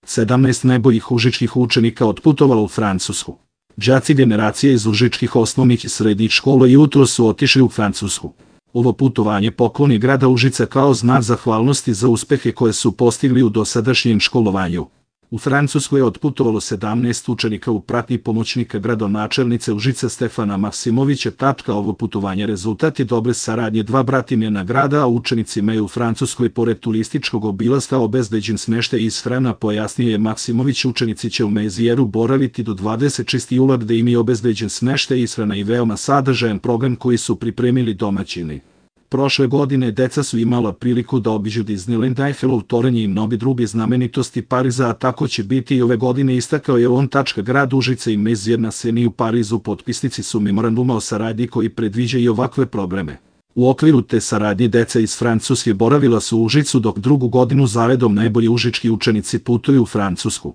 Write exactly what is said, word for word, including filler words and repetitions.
sedamnaest najboljih užičkih učenika otputovalo u Francusku. Đaci generacije iz užičkih osnovnih i srednjih škola jutro su otišli u Francusku. Ovo putovanje pokloni grada Užica kao znak zahvalnosti za uspehe koje su postigli u dosadašnjem školovanju. U Francusku je otputovalo sedamnaest učenika u pratnji pomoćnika gradonačelnice Užica Stefana Maksimovića. Ovo putovanje rezultat je dobre saradnje dva bratimljena grada, a učenicima je u Francuskoj pored turističkog obilaska obezbeđen smeštaj i ishrana, pojasnio je Maksimović. Učenici će u Mezijeru boraviti do dvadeset šestog jula gde im je obezbeđen smeštaj, ishrana i veoma sadržajan program koji su pripremili domaćini. Prošle godine deca su imala priliku da obiđu Disneyland, Eiffelov toranj i mnoge druge znamenitosti Pariza, a tako će biti i ove godine, istakao je on. Grad Užica i Mezijer na Seni u Parizu potpisnici su memoranduma o saradnji koji predviđa i ovakve programe. U okviru te saradnje deca iz Francuske boravila su u Užicu, dok drugu godinu zaredom najbolji užički učenici putuju u Francusku.